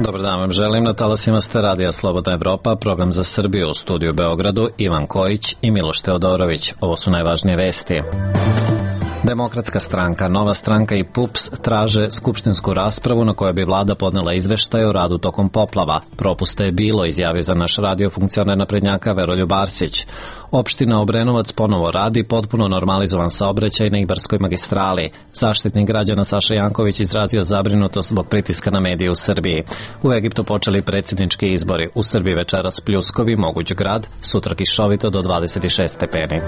Dobar dan vam želim, na talasima ste Radija Slobodna Evropa, program za Srbiju, u studiju Beogradu, Ivan Kojić i Miloš Teodorović. Ovo su najvažnije vesti. Demokratska stranka, Nova stranka i PUPS traže skupštinsku raspravu na kojoj bi vlada podnela izveštaj o radu tokom poplava. Propusta je bilo, izjavio za naš radio funkcioner naprednjaka Veroljub Arsić. Opština Obrenovac ponovo radi, potpuno normalizovan saobraćaj na Ibarskoj magistrali. Zaštitnik građana Saša Janković izrazio zabrinutost zbog pritiska na medije u Srbiji. U Egiptu počeli predsjednički izbori. U Srbiji večeras pljuskovi, moguć grad, sutra kišovito do 26 stepeni.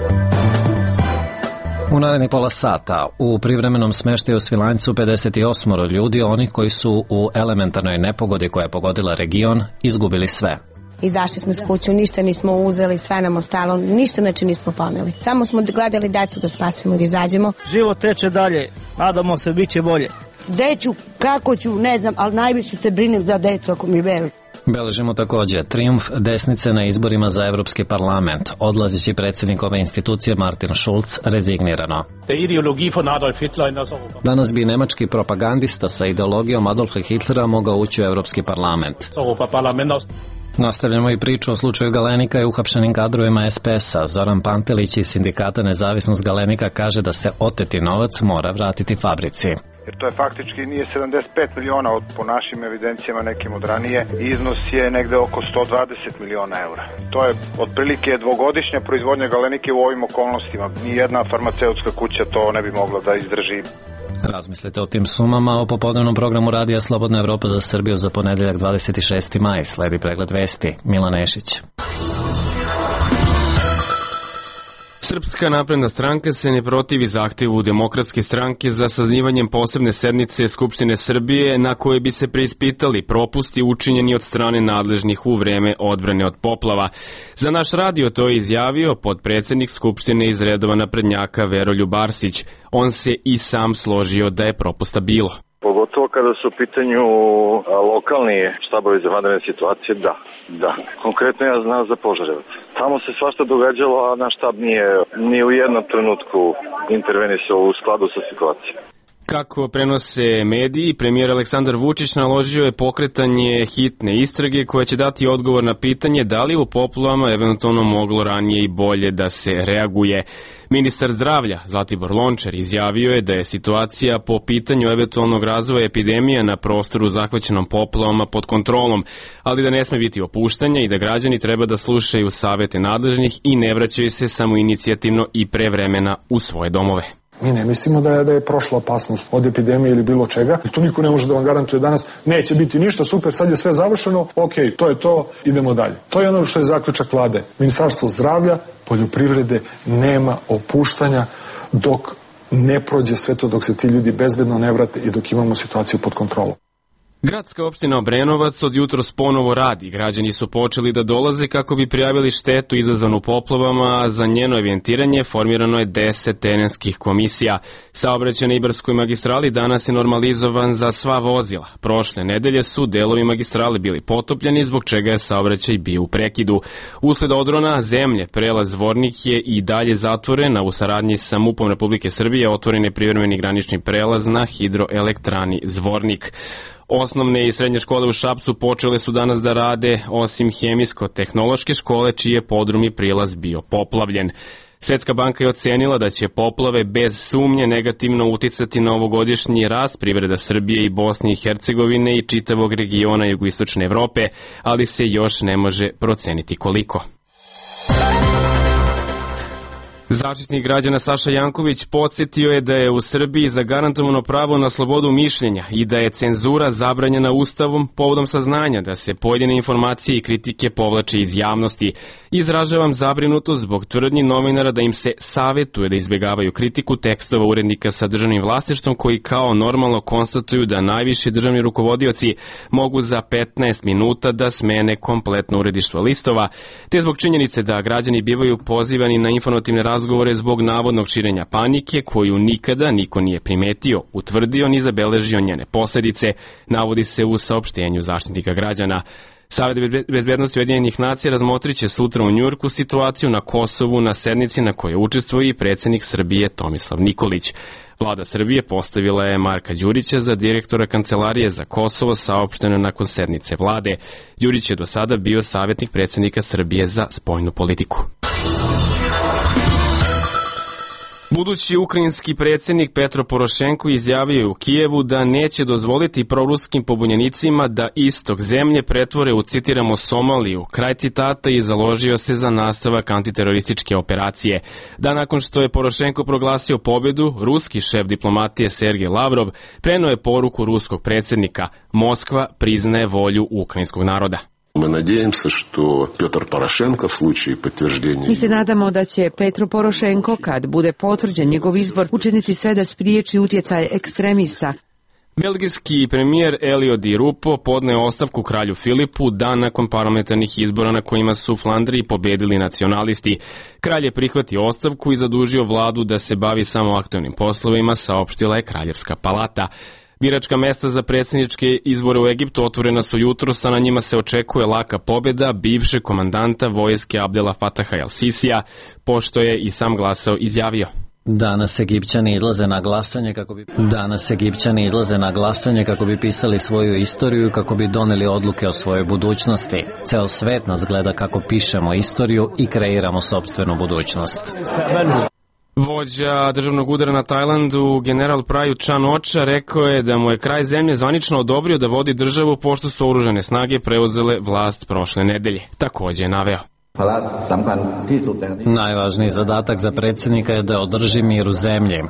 U narednih pola sata u privremenom smeštaju u Svilajncu 58 ljudi, onih koji su u elementarnoj nepogodi koja je pogodila region, izgubili sve. Izašli smo iz kuću, ništa nismo uzeli, sve nam ostalo, ništa znači nismo poneli. Samo smo gledali decu da spasimo, da izađemo. Život teče dalje, nadamo se bit će bolje. Deću, kako ću, ne znam, ali najviše se brinem za decu ako mi veli. Beležimo također trijumf desnice na izborima za Evropski parlament. Odlazeći predsjednik ove institucije Martin Schulz rezignirano. Danas bi nemački propagandista sa ideologijom Adolfa Hitlera mogao ući u Evropski parlament. Nastavljamo i priču o slučaju Galenika i uhapšenim kadrovima SPS-a. Zoran Pantelić iz sindikata Nezavisnost Galenika kaže da se oteti novac mora vratiti fabrici. Jer to je faktički nije 75 miliona po našim evidencijama nekim od ranije, iznos je negde oko 120 miliona eura. To je otprilike dvogodišnja proizvodnja Galenike u ovim okolnostima. Nijedna farmaceutska kuća to ne bi mogla da izdrži. Razmislite o tim sumama o popodnevnom programu Radija Slobodna Evropa za Srbiju za ponedeljak 26. maj. Sledi pregled vesti. Milan Nešić. Srpska napredna stranka se ne protivi zahtevu Demokratske stranke za sazivanjem posebne sednice Skupštine Srbije na koje bi se preispitali propusti učinjeni od strane nadležnih u vreme odbrane od poplava. Za naš radio to je izjavio potpredsednik Skupštine iz redova naprednjaka Veroljub Arsić. On se i sam složio da je propusta bilo. Pogotovo kada su u pitanju lokalni štabovi za vanredne situacije, da. Konkretno ja znam za Požarevac. Tamo se svašta događalo, a naš štab nije ni u jednom trenutku intervenisao u skladu sa situacijom. Kako prenose mediji, premijer Aleksandar Vučić naložio je pokretanje hitne istrage koja će dati odgovor na pitanje da li u poplavama eventualno moglo ranije i bolje da se reaguje. Ministar zdravlja Zlatibor Lončar izjavio je da je situacija po pitanju eventualnog razvoja epidemije na prostoru zahvaćenom poplavama pod kontrolom, ali da ne sme biti opuštanja i da građani treba da slušaju savete nadležnih i ne vraćaju se samoinicijativno i pre vremena u svoje domove. Mi ne mislimo da je prošla opasnost od epidemije ili bilo čega. To niko ne može da vam garantuje danas. Neće biti ništa, super, sad je sve završeno, ok, to je to, idemo dalje. To je ono što je zaključak vlade. Ministarstvo zdravlja, poljoprivrede, nema opuštanja dok ne prođe sve to, dok se ti ljudi bezbedno ne vrate i dok imamo situaciju pod kontrolom. Gradska opština Obrenovac od jutros ponovo radi. Građani su počeli da dolaze kako bi prijavili štetu izazvanu poplavama. Za njeno evidentiranje formirano je 10 terenskih komisija. Saobraćaj na Ibarskoj magistrali danas je normalizovan za sva vozila. Prošle nedelje su delovi magistrale bili potopljeni, zbog čega je saobraćaj bio u prekidu. Usled odrona zemlje, prelaz Zvornik je i dalje zatvoren, a u saradnji sa MUP-om Republike Srbije otvoren je privremeni granični prelaz na hidroelektrani Zvornik. Osnovne i srednje škole u Šapcu počele su danas da rade, osim hemijsko-tehnološke škole, čiji je podrum i prilaz bio poplavljen. Svetska banka je ocenila da će poplave bez sumnje negativno uticati na ovogodišnji rast privreda Srbije i Bosne i Hercegovine i čitavog regiona jugoistočne Evrope, ali se još ne može proceniti koliko. Zaštitnik građana Saša Janković podsjetio je da je u Srbiji zagarantovano pravo na slobodu mišljenja i da je cenzura zabranjena Ustavom povodom saznanja da se pojedine informacije i kritike povlače iz javnosti. Izražavam zabrinutost zbog tvrdnji novinara da im se savetuje da izbjegavaju kritiku tekstova urednika sa državnim vlasništvom koji kao normalno konstatuju da najviši državni rukovodioci mogu za 15 minuta da smene kompletno uredništvo listova, te zbog činjenice da građani bivaju pozivani na informativne razgovore zbog navodnog širenja panike koju nikada niko nije primetio, utvrdio ni zabeležio njene posljedice, navodi se u saopštenju Zaštitnika građana. Savet bezbednosti Ujedinjenih nacija razmotrit će sutra u Njujorku situaciju na Kosovu na sednici na kojoj učestvuje i predsjednik Srbije Tomislav Nikolić. Vlada Srbije postavila je Marka Đurića za direktora Kancelarije za Kosovo, saopšteno nakon sednice vlade. Đurić je do sada bio savjetnik predsjednika Srbije za spoljnu politiku. Budući ukrajinski predsjednik Petro Porošenko izjavio je u Kijevu da neće dozvoliti proruskim pobunjenicima da istok zemlje pretvore u, citiramo, Somaliju, kraj citata, i založio se za nastavak antiterorističke operacije. Da nakon što je Porošenko proglasio pobjedu, ruski šef diplomatije Sergej Lavrov preneo je poruku ruskog predsjednika: Moskva priznaje volju ukrajinskog naroda. Mi se nadamo da će Petro Porošenko, kad bude potvrđen njegov izbor, učiniti sve da spriječi utjecaj ekstremista. Belgijski premijer Elio Di Rupo podneo ostavku kralju Filipu dan nakon parlamentarnih izbora na kojima su u Flandriji pobedili nacionalisti. Kralj je prihvatio ostavku i zadužio vladu da se bavi samo aktualnim poslovima, saopštila je Kraljevska palata. Biračka mesta za predsjedničke izbore u Egiptu otvorena su jutros, a na njima se očekuje laka pobjeda bivšeg komandanta vojske Abdela Fataha el-Sisija, pošto je i sam glasao izjavio. Danas Egipćani izlaze na glasanje kako bi pisali svoju istoriju i kako bi doneli odluke o svojoj budućnosti. Ceo svet nas gleda kako pišemo istoriju i kreiramo sopstvenu budućnost. Vođa državnog udara na Tajlandu, general Prayut Chan-ocha, rekao je da mu je kraj zemlje zvanično odobrio da vodi državu pošto su oružane snage preuzele vlast prošle nedelje. Također je naveo: Najvažniji zadatak za predsjednika je da održi mir u zemlji.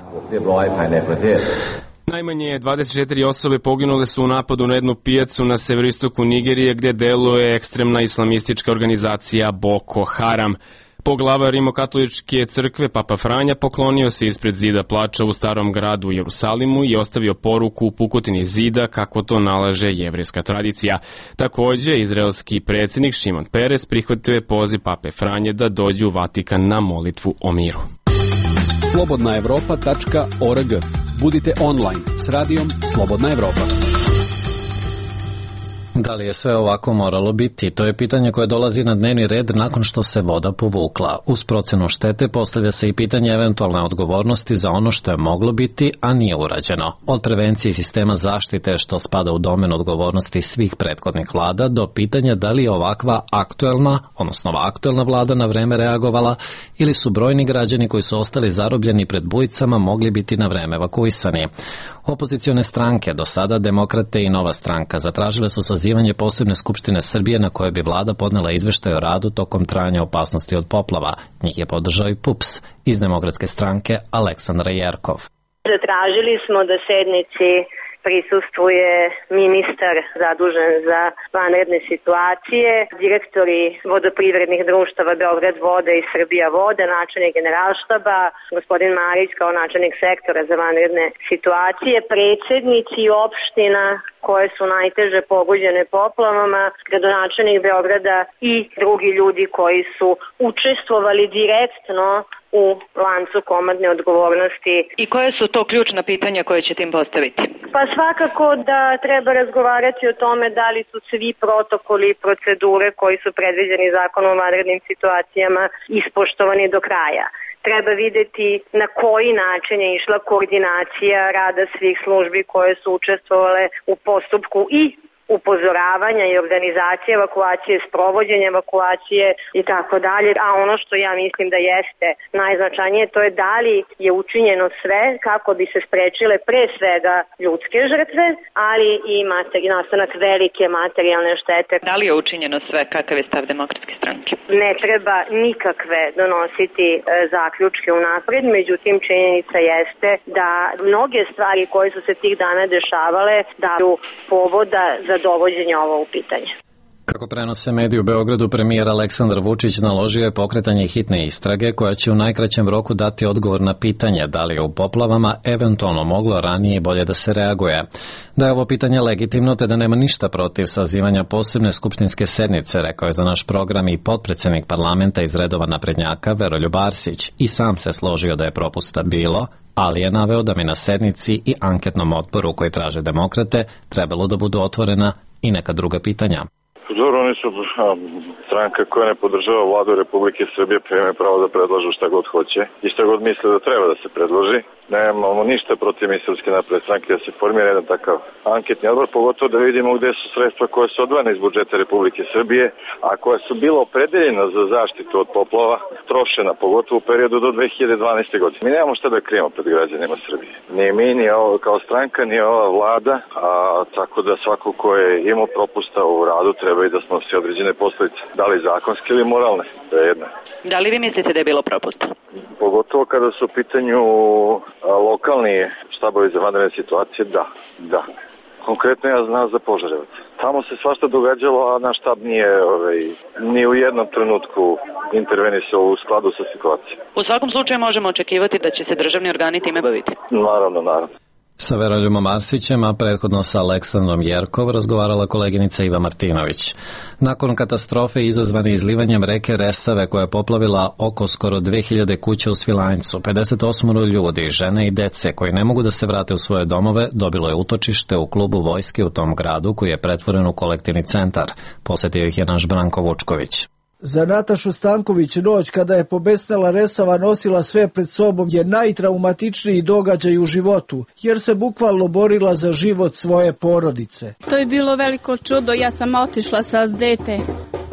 Najmanje 24 osobe poginule su u napadu na jednu pijacu na severoistoku Nigerije gdje deluje ekstremna islamistička organizacija Boko Haram. Poglavar Rimokatoličke crkve Papa Franja poklonio se ispred zida plača u starom gradu u Jerusalimu i ostavio poruku u pukotini zida kako to nalaže jevrejska tradicija. Također, izraelski predsjednik Šimon Peres prihvatio je poziv Pape Franje da dođe u Vatikan na molitvu o miru. slobodnaevropa.org. Budite online s radijom Slobodna Evropa. Da li je sve ovako moralo biti? To je pitanje koje dolazi na dnevni red nakon što se voda povukla. Uz procenu štete postavlja se i pitanje eventualne odgovornosti za ono što je moglo biti, a nije urađeno. Od prevencije i sistema zaštite, što spada u domen odgovornosti svih prethodnih vlada, do pitanja da li je ova aktuelna vlada na vreme reagovala ili su brojni građani koji su ostali zarobljeni pred bujicama mogli biti na vreme evakuisani. Opozicione stranke, do sada Demokrate i Nova stranka, zatražile su sazivanje posebne skupštine Srbije na kojoj bi vlada podnela izveštaj o radu tokom trajanja opasnosti od poplava. Njih je podržao i PUPS iz Demokratske stranke Aleksandra Jerkov. Zatražili smo da sednici prisustvuje ministar zadužen za vanredne situacije, direktori vodoprivrednih društava Beograd vode i Srbija vode, načelnik generalštaba, gospodin Marić kao načelnik sektora za vanredne situacije, predsjednici opština koje su najteže pogođene poplavama, gradonačelnik Beograda i drugi ljudi koji su učestvovali direktno u lancu komadne odgovornosti. I koje su to ključna pitanja koje ćete im postaviti? Pa svakako da treba razgovarati o tome da li su svi protokoli i procedure koji su predviđeni zakonom o vanrednim situacijama ispoštovani do kraja. Treba videti na koji način je išla koordinacija rada svih službi koje su učestvovale u postupku i upozoravanja i organizacije evakuacije, sprovođenja evakuacije i tako dalje. A ono što ja mislim da jeste najznačajnije, to je da li je učinjeno sve kako bi se sprečile pre svega ljudske žrtve, ali i nastanak velike materijalne štete. Da li je učinjeno sve? Kakav je stav Demokratske stranke? Ne treba nikakve donositi zaključke unapred, međutim činjenica jeste da mnoge stvari koje su se tih dana dešavale daju povoda za dovođenje ovo u pitanje. Kako prenose mediji u Beogradu, premijer Aleksandar Vučić naložio je pokretanje hitne istrage koja će u najkraćem roku dati odgovor na pitanje da li je u poplavama eventualno moglo ranije i bolje da se reaguje. Da je ovo pitanje legitimno te da nema ništa protiv sazivanja posebne skupštinske sednice, rekao je za naš program i potpredsjednik parlamenta iz redova naprednjaka Veroljub Arsić i sam se složio da je propusta bilo, ali je naveo da bi na sednici i anketnom odboru koji traže demokrate trebalo da budu otvorena i neka druga pitanja. Dobro, oni su stranka koja ne podržava vladu Republike Srbije, pa imaju pravo da predlažu šta god hoće i šta god misle da treba da se predloži. Nemamo ništa protiv mi Srpske napredne stranke da se formira jedan takav anketni odbor, pogotovo da vidimo gde su sredstva koje su odvojene iz budžeta Republike Srbije, a koja su bila opredeljena za zaštitu od poplava, trošena, pogotovo u periodu do 2012. godine. Mi nemamo šta da krijemo pred građanima Srbije. Ni mi, ni ovo kao stranka, ni ova vlada, tako da svako ko je imao propusta u radu treba i da snosi određene posledice. Da li zakonske ili moralne, to je jedna. Da li vi mislite da je bilo propusta? Pogotovo kada su u pitanju lokalni štabovi za vanredne situacije, da. Konkretno ja znam za Požarevac. Tamo se svašta događalo, a naš štab nije ni u jednom trenutku intervenisao u skladu sa situacijom. U svakom slučaju možemo očekivati da će se državni organi time baviti. Naravno. Sa Veroljubom Arsićem, a prethodno sa Aleksandrom Jerkov, razgovarala koleginica Iva Martinović. Nakon katastrofe izazvane izlivanjem reke Resave koja je poplavila oko skoro 2000 kuća u Svilajncu, 58 ljudi, žene i dece koji ne mogu da se vrate u svoje domove, dobilo je utočište u klubu vojske u tom gradu koji je pretvoren u kolektivni centar. Posetio ih je naš Branko Vučković. Za Natašu Stanković noć kada je pobesnela Resava nosila sve pred sobom je najtraumatičniji događaj u životu, jer se bukvalno borila za život svoje porodice. To je bilo veliko čudo, ja sam otišla sa dete,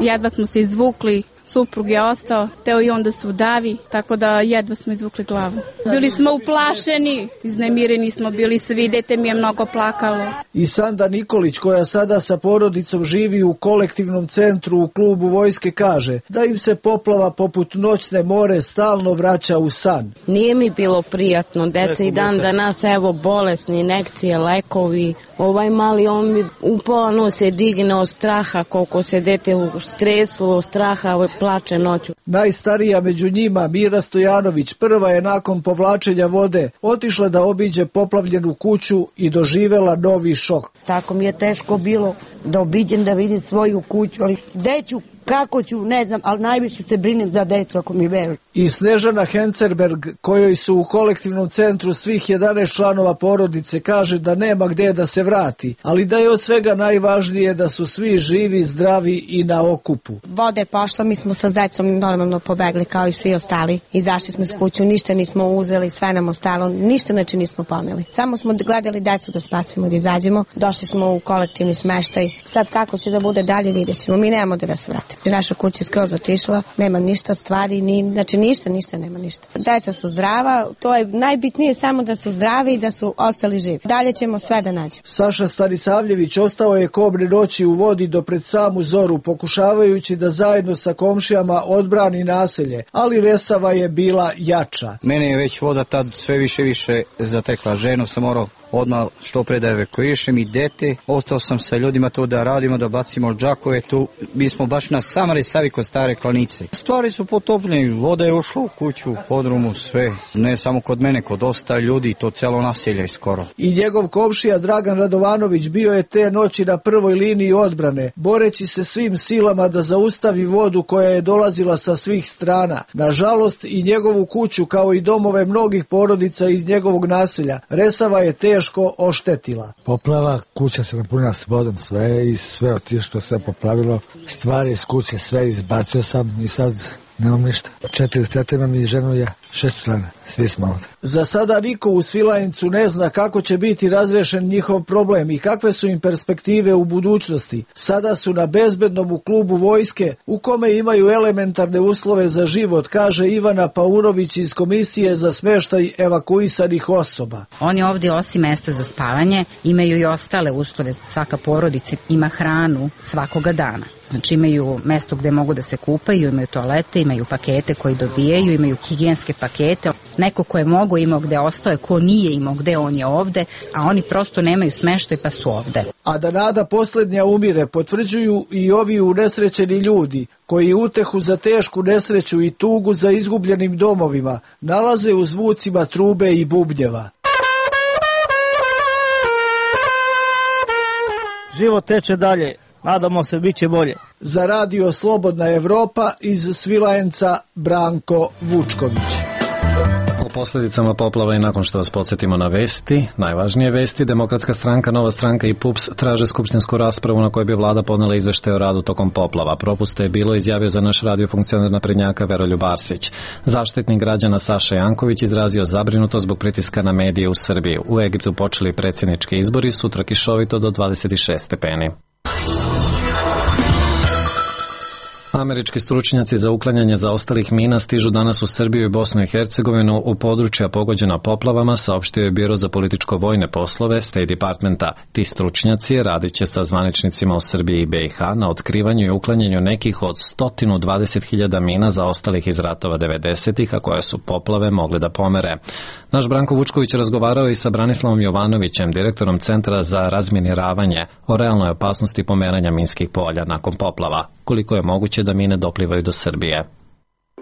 jedva smo se izvukli. Suprug je ostao, teo i on da se udavi, tako da jedva smo izvukli glavu. Bili smo uplašeni, iznemireni smo bili svi, dete mi je mnogo plakalo. I Sanda Nikolić, koja sada sa porodicom živi u kolektivnom centru u klubu vojske, kaže da im se poplava poput noćne more stalno vraća u san. Nije mi bilo prijatno, deca i dan danas, evo, bolesni, injekcije, lekovi. Ovaj mali, on mi upola nose digne od straha, koliko se dete u stresu, od straha, plače noću. Najstarija među njima, Mira Stojanović, prva je nakon povlačenja vode otišla da obiđe poplavljenu kuću i doživela novi šok. Tako mi je teško bilo da obiđem, da vidim svoju kuću, ali gde ću, kako ću, ne znam, ali najviše se brinem za decu, ako mi veruju. I Snežana Hencerberg, kojoj su u kolektivnom centru svih 11 članova porodice, kaže da nema gde da se vrati, ali da je od svega najvažnije da su svi živi, zdravi i na okupu. Voda je pošla, mi smo sa decom normalno pobegli kao i svi ostali. Izašli smo iz kuću, ništa nismo uzeli, sve nam ostalo, ništa znači nismo poneli. Samo smo gledali decu da spasimo, da izađemo. Došli smo u kolektivni smeštaj. Sad kako će da bude dalje, vidjet ćemo. Mi nemamo da se vratimo. Naša kuća je skroz otišla, nema ništa stvari, znači ništa, nema ništa. Deca su zdrava, to je najbitnije, samo da su zdravi i da su ostali živi. Dalje ćemo sve da nađemo. Saša Stanisavljević ostao je kobne noći u vodi do pred samu zoru, pokušavajući da zajedno sa komšijama odbrani naselje, ali Resava je bila jača. Mene je već voda tad sve više zatekla. Ženu sam morao odmah što pre da evakuišem i dete. Ostao sam sa ljudima to da radimo, da bacimo džakove. Tu mi smo baš na samoj Resavi kod Stare Klanice. Stvari su potopljene, voda je ušla u kuću, podrumu, sve. Ne samo kod mene, kod dosta ljudi, to celo naselje skoro. I njegov komšija Dragan Radovanović bio je te noći na prvoj liniji odbrane, boreći se svim silama da zaustavi vodu koja je dolazila sa svih strana. Nažalost, i njegovu kuću, kao i domove mnogih porodica iz njegovog naselja, Resava je teško oštetila. Poplava, kuća se napunila s vodom, sve otišlo, sve poplavilo, stvari iz kuće, sve izbacio sam i sad nemam ništa. 4 tete imam i ženu i ja, 6 člana, svi smo ovdje. Za sada niko u Svilajncu ne zna kako će biti razrešen njihov problem i kakve su im perspektive u budućnosti. Sada su na bezbednom u klubu vojske, u kome imaju elementarne uslove za život, kaže Ivana Paunović iz Komisije za smeštaj evakuisanih osoba. Oni ovdje osim mesta za spavanje imaju i ostale uslove. Svaka porodica ima hranu svakoga dana. Znači imaju mesto gde mogu da se kupaju, imaju toalete, imaju pakete koji dobijaju, imaju higijenske pakete. Neko ko je mogo imao gde ostao, ko nije imao gde, on je ovde, a oni prosto nemaju smeštaj pa su ovde. A da nada poslednja umire potvrđuju i ovi unesrećeni ljudi koji utehu za tešku nesreću i tugu za izgubljenim domovima nalaze u zvucima trube i bubnjeva. Život teče dalje. Nadamo se, bit će bolje. Za radio Slobodna Evropa iz Svilajnca Branko Vučković. posljedicama poplava i nakon što vas podsjetimo na vesti, najvažnije vesti, Demokratska stranka, Nova stranka i PUPS traže skupštinsku raspravu na kojoj bi vlada podnela izveštaj o radu tokom poplava. Propusta je bilo, izjavio za naš radio funkcioner naprednjaka Veroljub Arsić. Zaštitnik građana Saša Janković izrazio zabrinutost zbog pritiska na medije u Srbiji. U Egiptu počeli predsjednički izbori, sutra kišovito do 26 stepeni. Američki stručnjaci za uklanjanje zaostalih mina stižu danas u Srbiju i Bosnu i Hercegovinu u područja pogođena poplavama, saopštio je Biro za političko-vojne poslove State Departmenta. Ti stručnjaci radit će sa zvaničnicima u Srbiji i BiH na otkrivanju i uklanjanju nekih od 120.000 mina zaostalih iz ratova 90-ih, a koje su poplave mogle da pomere. Naš Branko Vučković razgovarao i sa Branislavom Jovanovićem, direktorom Centra za razminiravanje, o realnoj opasnosti pomeranja minskih polja nakon poplava. Koliko je moguće da mine doplivaju do Srbije?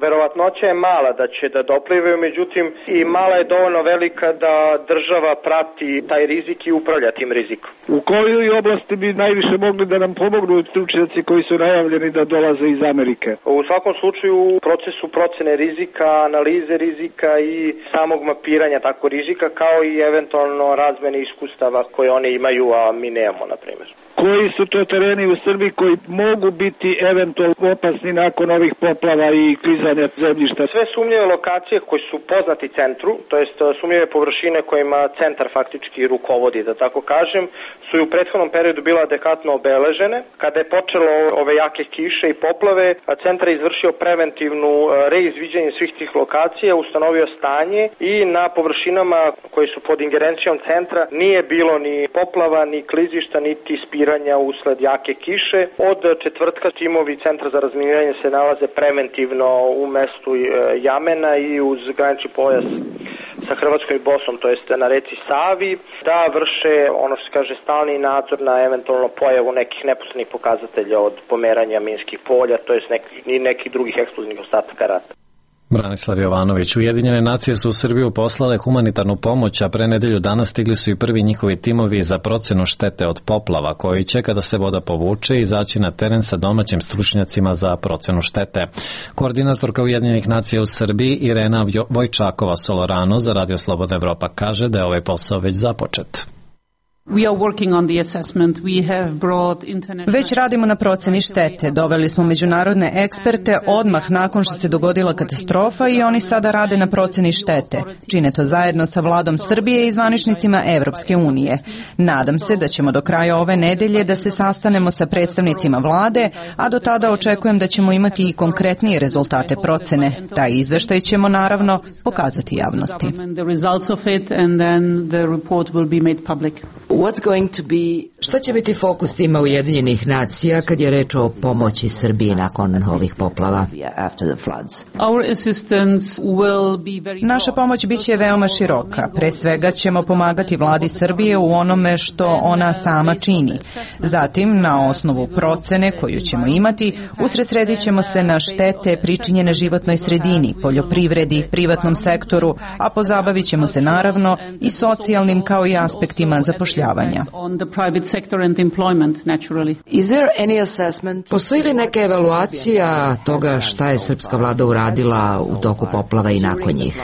Verovatnoća je mala da će da doplivaju, međutim i mala je dovoljno velika da država prati taj rizik i upravlja tim rizikom. U kojoj oblasti bi najviše mogli da nam pomognu stručnjaci koji su najavljeni da dolaze iz Amerike? U svakom slučaju u procesu procene rizika, analize rizika i samog mapiranja tako rizika, kao i eventualno razmene iskustava koje oni imaju, a mi nemamo, na primjer. Koji su to tereni u Srbiji koji mogu biti eventualno opasni nakon ovih poplava i klizanja zemljišta? Sve sumnjive lokacije koje su poznati centru, to jest sumnjive površine kojima centar faktički rukovodi, da tako kažem, su i u prethodnom periodu bila adekvatno obeležene. Kada je počelo ove jake kiše i poplave, centar je izvršio preventivnu reizviđenje svih tih lokacija, ustanovio stanje i na površinama koje su pod ingerencijom centra nije bilo ni poplava, ni klizišta, niti spiranja usled jake kiše. Od četvrtka timovi Centra za razminiranje se nalaze preventivno u mestu Jamena i uz granični pojas sa Hrvatskom i Bosnom, to jest na reci Savi, da vrše ono što se kaže stalni nadzor na eventualno pojavu nekih neposrednih pokazatelja od pomeranja minskih polja, to jest nekih drugih eksplozivnih ostataka rata. Branislav Jovanović. Ujedinjene nacije su u Srbiju poslale humanitarnu pomoć, a pre nedelju dana stigli su i prvi njihovi timovi za procenu štete od poplava, koji će, kada se voda povuče, izaći na teren sa domaćim stručnjacima za procenu štete. Koordinatorka Ujedinjenih nacija u Srbiji Irena Vojčakova-Solorano za Radio Slobodna Evropa kaže da je ovaj posao već započet. Već radimo na proceni štete. Doveli smo međunarodne eksperte odmah nakon što se dogodila katastrofa i oni sada rade na proceni štete. Čine to zajedno sa vladom Srbije i zvaničnicima Evropske unije. Nadam se da ćemo do kraja ove nedelje da se sastanemo sa predstavnicima vlade, a do tada očekujem da ćemo imati i konkretnije rezultate procene. Taj izveštaj ćemo naravno pokazati javnosti. Šta će biti fokus tima Ujedinjenih nacija kad je reč o pomoći Srbiji nakon ovih poplava? Naša pomoć biće veoma široka. Pre svega ćemo pomagati vladi Srbije u onome što ona sama čini. Zatim, na osnovu procene koju ćemo imati, usredsredit ćemo se na štete pričinjene životnoj sredini, poljoprivredi, privatnom sektoru, a pozabavit ćemo se naravno i socijalnim kao i aspektima zapošljavanja. Postoji li neka evaluacija toga šta je srpska vlada uradila u toku poplava i nakon njih?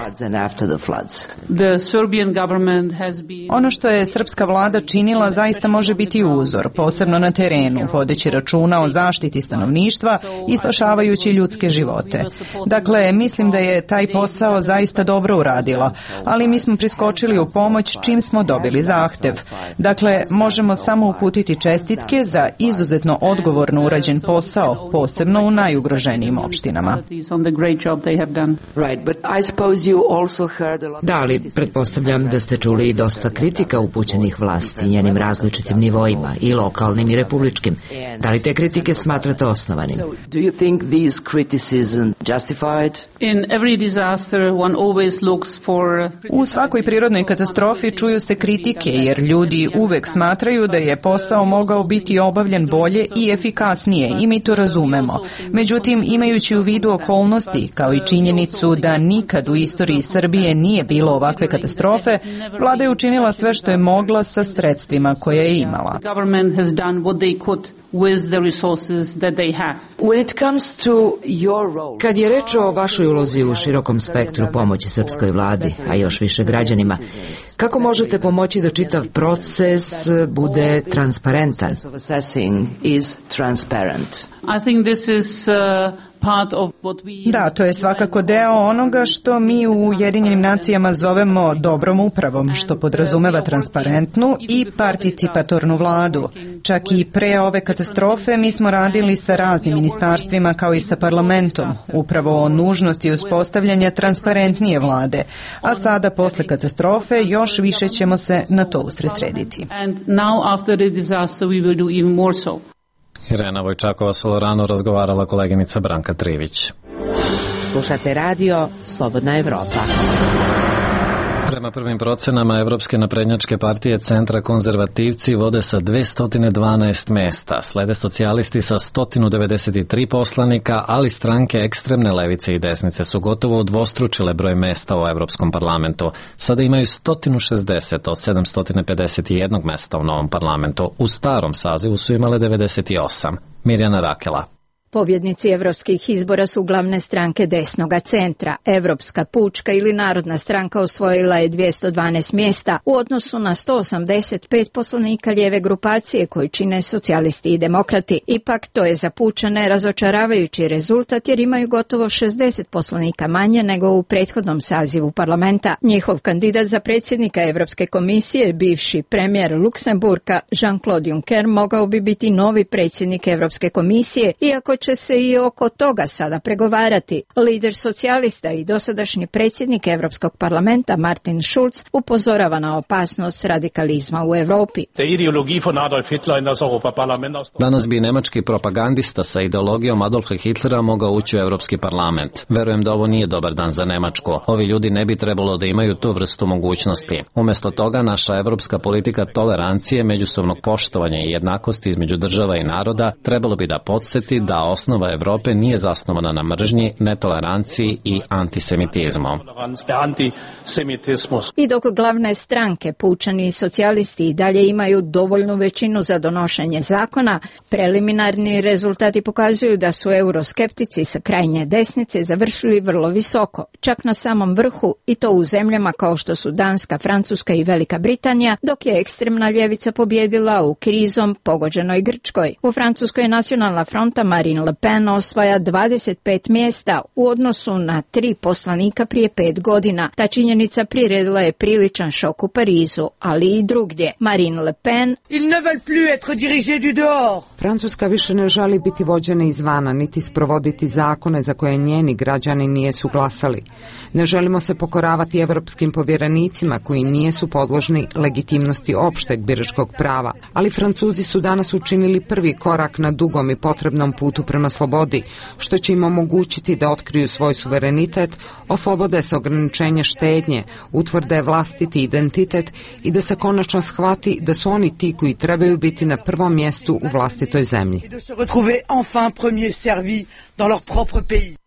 Ono što je srpska vlada činila zaista može biti uzor, posebno na terenu, vodeći računa o zaštiti stanovništva i spašavajući ljudske živote. Dakle, mislim da je taj posao zaista dobro uradila, ali mi smo priskočili u pomoć čim smo dobili zahtev. Dakle, možemo samo uputiti čestitke za izuzetno odgovorno urađen posao, posebno u najugroženijim opštinama. Da, ali pretpostavljam da ste čuli i dosta kritika upućenih vlasti njenim različitim nivoima, i lokalnim i republičkim. Da li te kritike smatrate osnovanim? U svakoj prirodnoj katastrofi čuju se kritike, jer ljudi uvek smatraju da je posao mogao biti obavljen bolje i efikasnije, i mi to razumemo. Međutim, imajući u vidu okolnosti, kao i činjenicu da nikad u istoriji Srbije nije bilo ovakve katastrofe, vlada je učinila sve što je mogla sa sredstvima koje je imala. with the resources that they have. Kad je reč o vašoj ulozi u širokom spektru pomoći srpskoj vladi, a još više građanima, kako možete pomoći da čitav proces bude transparentan? I think this is Da, to je svakako deo onoga što mi u Ujedinjenim nacijama zovemo dobrom upravom, što podrazumeva transparentnu i participatornu vladu. Čak i pre ove katastrofe mi smo radili sa raznim ministarstvima kao i sa parlamentom, upravo o nužnosti uspostavljanja transparentnije vlade, a sada posle katastrofe još više ćemo se na to usredsrediti. Irena Vojčakova-Solorano razgovarala koleginica Branka Trivić. Slušate radio Slobodna Evropa. Prema prvim procenama Evropske naprednjačke partije Centra konzervativci vode sa 212 mesta, slede socijalisti sa 193 poslanika, ali stranke ekstremne levice i desnice su gotovo udvostručile broj mesta u Evropskom parlamentu. Sada imaju 160 od 751 mesta u novom parlamentu. U starom sazivu su imale 98. Mirjana Rakela. Pobjednici evropskih izbora su glavne stranke desnoga centra. Evropska pučka ili Narodna stranka osvojila je 212 mjesta u odnosu na 185 poslanika lijeve grupacije koji čine socijalisti i demokrati. Ipak to je za pučane razočaravajući rezultat jer imaju gotovo 60 poslanika manje nego u prethodnom sazivu parlamenta. Njihov kandidat za predsjednika Evropske komisije, bivši premijer Luksemburga Jean-Claude Juncker, mogao bi biti novi predsjednik Evropske komisije, iako će se i oko toga sada pregovarati. Lider socijalista i dosadašnji predsjednik Evropskog parlamenta Martin Schulz upozorava na opasnost radikalizma u Evropi. Danas bi nemački propagandista sa ideologijom Adolfa Hitlera mogao ući u Evropski parlament. Verujem da ovo nije dobar dan za Nemačku. Ovi ljudi ne bi trebalo da imaju tu vrstu mogućnosti. Umjesto toga, naša evropska politika tolerancije, međusobnog poštovanja i jednakosti između država i naroda trebalo bi da podsjeti da osnova Evrope nije zasnovana na mržnji, netoleranciji i antisemitizmu. I dok glavne stranke, pučani i socijalisti i dalje imaju dovoljnu većinu za donošenje zakona, preliminarni rezultati pokazuju da su euroskeptici sa krajnje desnice završili vrlo visoko, čak na samom vrhu, i to u zemljama kao što su Danska, Francuska i Velika Britanija, dok je ekstremna ljevica pobjedila u krizom pogođenoj Grčkoj. U Francuskoj je Nacionalna fronta Marine Le Pen osvaja 25 mjesta u odnosu na 3 poslanika prije 5 godina. Ta činjenica priredila je priličan šok u Parizu, ali i drugdje. Marine Le Pen: Francuska više ne želi biti vođena izvana, niti sprovoditi zakone za koje njeni građani nijesu glasali. Ne želimo se pokoravati evropskim povjerenicima koji nijesu podložni legitimnosti opšteg biračkog prava, ali Francuzi su danas učinili prvi korak na dugom i potrebnom putu prema slobodi, što će im omogućiti da otkriju svoj suverenitet, oslobode se ograničenja štednje, utvrde vlastiti identitet i da se konačno shvati da su oni ti koji trebaju biti na prvom mjestu u vlastitoj zemlji.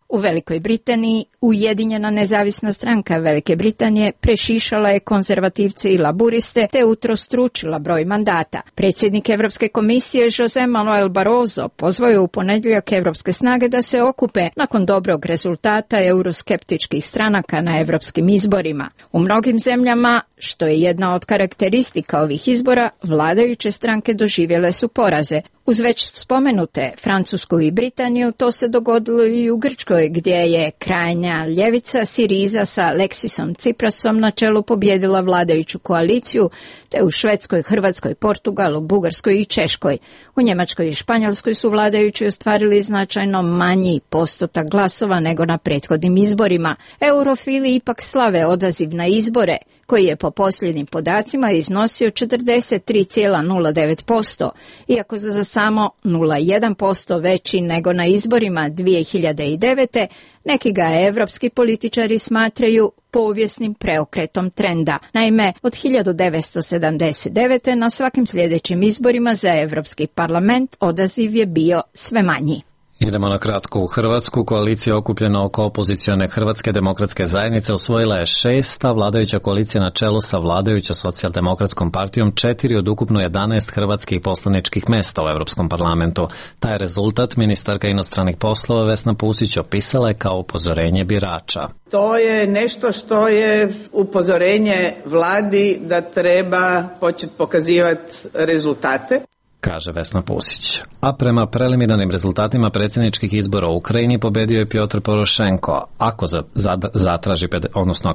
U Velikoj Britaniji Ujedinjena nezavisna stranka Velike Britanije prešišala je konzervativce i laburiste te utrostručila broj mandata. Predsjednik Evropske komisije José Manuel Barroso pozvao je u ponedjeljak evropske snage da se okupe nakon dobrog rezultata euroskeptičkih stranaka na evropskim izborima. U mnogim zemljama, što je jedna od karakteristika ovih izbora, vladajuće stranke doživjele su poraze. Uz već spomenute Francusku i Britaniju, to se dogodilo i u Grčkoj, gdje je krajnja ljevica Siriza sa Aleksisom Tsiprasom na čelu pobjedila vladajuću koaliciju, te u Švedskoj, Hrvatskoj, Portugalu, Bugarskoj i Češkoj. U Njemačkoj i Španjolskoj su vladajući ostvarili značajno manji postotak glasova nego na prethodnim izborima. Eurofili ipak slave odaziv na izbore, koji je po posljednjim podacima iznosio 43,09%, iako za samo 0,1% veći nego na izborima 2009. Neki ga evropski političari smatraju povijesnim preokretom trenda. Naime, od 1979. na svakim sljedećim izborima za Evropski parlament odaziv je bio sve manji. Idemo na kratko u Hrvatsku. Koalicija okupljena oko opozicione Hrvatske demokratske zajednice osvojila je 6, a vladajuća koalicija na čelu sa vladajuća socijaldemokratskom partijom 4 od ukupno 11 hrvatskih poslaničkih mesta u Europskom parlamentu. Taj rezultat ministarka inostranih poslova Vesna Pusić opisala je kao upozorenje birača. To je nešto što je upozorenje vladi da treba početi pokazivati rezultate, kaže Vesna Pusić. A prema preliminarnim rezultatima predsjedničkih izbora u Ukrajini pobedio je Pjotr Porošenko. Ako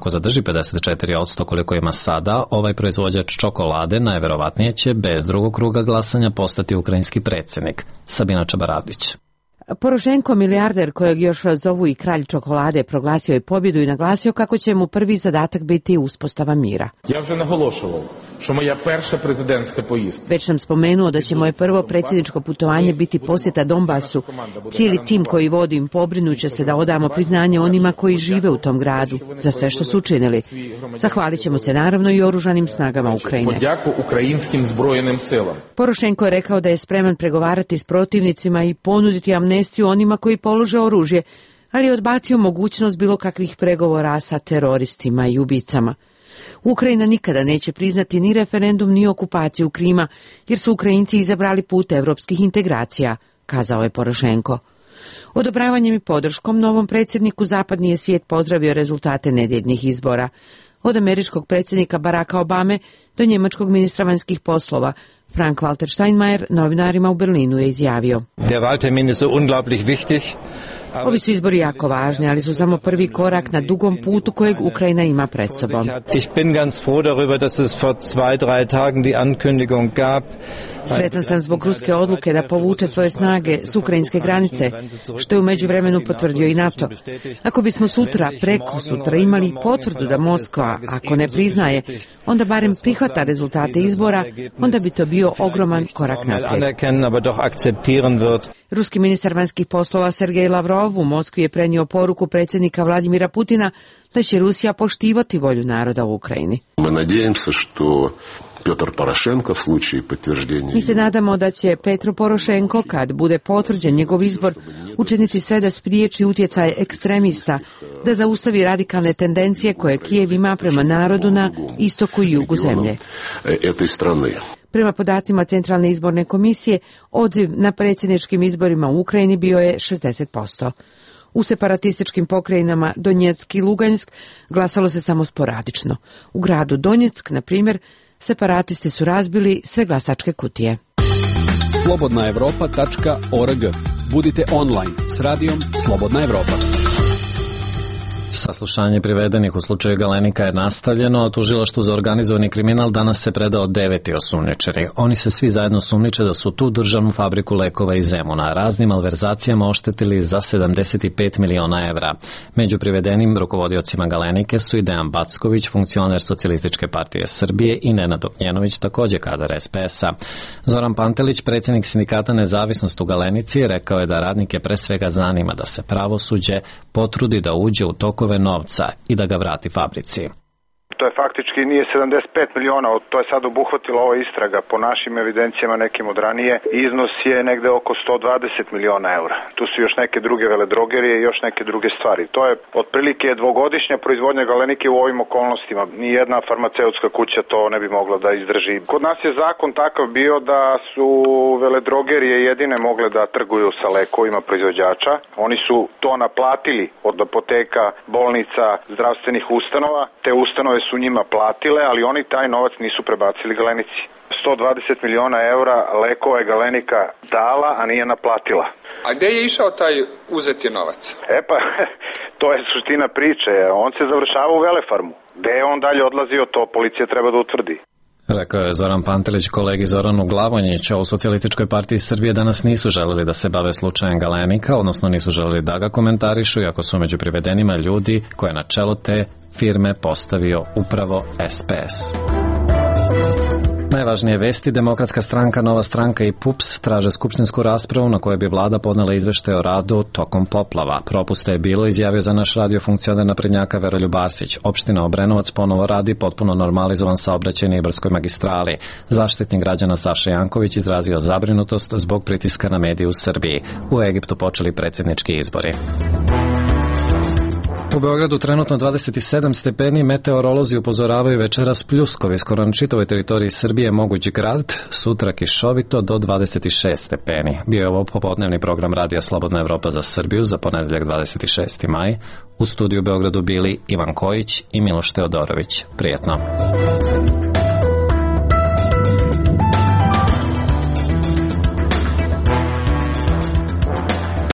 zadrži 54% koliko ima sada, ovaj proizvođač čokolade najverovatnije će bez drugog kruga glasanja postati ukrajinski predsjednik. Sabina Čabaravdić. Porošenko, milijarder kojeg još zovu i kralj čokolade, proglasio je pobjedu i naglasio kako će mu prvi zadatak biti uspostava mira. Ja вже наголошував, що моя перша президентська поїздка. Već sam spomenuo da će moje prvo predsjedničko putovanje biti posjeta Donbasu. Cijeli tim koji vodim pobrinuće se da odamo priznanje onima koji žive u tom gradu za sve što su učinili. Zahvalit ćemo se naravno i oružanim snagama Ukrajine. Подяку українським збройним силам. Porošenko je rekao da je spreman pregovarati s protivnicima i ponuditi amnestiju onima koji polože oružje, ali je odbacio mogućnost bilo kakvih pregovora sa teroristima i ubicama. Ukrajina nikada neće priznati ni referendum ni okupaciju Krima, jer su Ukrajinci izabrali put evropskih integracija, kazao je Porošenko. Odobravanjem i podrškom novom predsjedniku zapadni je svijet pozdravio rezultate nedjeljnih izbora. Od američkog predsjednika Baracka Obame do njemačkog ministra vanjskih poslova, Frank-Walter Steinmeier novinarima u Berlinu je izjavio: Der Wahltermin ist so unglaublich wichtig. Ovi su izbori jako važni, ali su samo prvi korak na dugom putu kojeg Ukrajina ima pred sobom. Ich bin ganz froh darüber, dass es vor 2-3 Tagen die Ankündigung gab. Sretan sam zbog ruske odluke da povuče svoje snage s ukrajinske granice, što je u međuvremenu potvrdio i NATO. Ako bismo sutra, preko sutra imali potvrdu da Moskva, ako ne priznaje, onda barem prihvata rezultate izbora, onda bi to bio ogroman korak naprijed. Ruski ministar vanjskih poslova Sergej Lavrov u Moskvi je prenio poruku predsjednika Vladimira Putina da će Rusija poštivati volju naroda u Ukrajini. Mi se nadamo da će Petro Porošenko, kad bude potvrđen njegov izbor, učiniti sve da spriječi utjecaj ekstremista, da zaustavi radikalne tendencije koje Kijev ima prema narodu na istoku i jugu zemlje. Prema podacima Centralne izborne komisije, odziv na predsjedničkim izborima u Ukrajini bio je 60%. U separatističkim pokrajinama Donjeck i Lugansk glasalo se samo sporadično. U gradu Donjeck, na primjer, separatisti su razbili sve glasačke kutije. slobodnaevropa.org. Budite online s radijom Slobodna Evropa. Saslušanje privedenih u slučaju Galenika je nastavljeno, a tužilaštvu za organizovani kriminal danas se predao 9 osumnjičeni. Oni se svi zajedno sumnjiče da su tu državnu fabriku lekova iz Zemuna raznim malverzacijama oštetili za 75 miliona evra. Među privedenim rukovodiocima Galenike su i Dejan Backović, funkcioner Socijalističke partije Srbije, i Nenad Ognjenović, također kadar SPS-a. Zoran Pantelić, predsjednik sindikata Nezavisnost u Galenici, rekao je da radnike pre svega zanima da se pravosuđe potrudi da uđe u tokove novca i da ga vrati fabrici. To je faktički nije 75 miliona, to je sad obuhvatila ova istraga. Po našim evidencijama, nekim od ranije, iznos je negde oko 120 miliona eura. Tu su još neke druge veledrogerije i još neke druge stvari. To je otprilike dvogodišnja proizvodnja Galenike u ovim okolnostima. Nijedna farmaceutska kuća to ne bi mogla da izdrži. Kod nas je zakon takav bio da su veledrogerije jedine mogle da trguju sa lekovima proizvođača. Oni su to naplatili od apoteka, bolnica, zdravstvenih ustanova. Te ustanove su njima platile, ali oni taj novac nisu prebacili Galenici. 120 miliona eura lekova je Galenika dala, a nije naplatila. A gde je išao taj uzeti novac? Pa, to je suština priče. On se završava u Velefarmu. Gde je on dalje odlazio, to policija treba da utvrdi. Rekao je Zoran Pantelić. Kolegi Zoranu Glavonjiću u Socijalističkoj partiji Srbije danas nisu želeli da se bave slučajem Galenika, odnosno nisu želeli da ga komentarišu, iako su među privedenima ljudi koje na čelo te firme postavio upravo SPS. Najvažnije vesti: Demokratska stranka, Nova stranka i PUPS traže skupštinsku raspravu na kojoj bi vlada podnela izveštaj o radu tokom poplava. Propusta je bilo, izjavio za naš radio funkcioner naprednjaka Veroljub Arsić. Opština Obrenovac ponovo radi potpuno normalizovan saobraćaj na Ibarskoj magistrali. Zaštitnik građana Saša Janković izrazio zabrinutost zbog pritiska na medije u Srbiji. U Egiptu počeli predsjednički izbori. U Beogradu trenutno 27 stepeni, meteorolozi upozoravaju večeras pljuskovi skoro na čitavoj teritoriji Srbije, moguć grad, sutra kišovito do 26 stepeni. Bio je ovo popodnevni program Radija Slobodna Evropa za Srbiju za ponedeljak 26. maj. U studiju u Beogradu bili Ivan Kojić i Miloš Teodorović. Prijetno.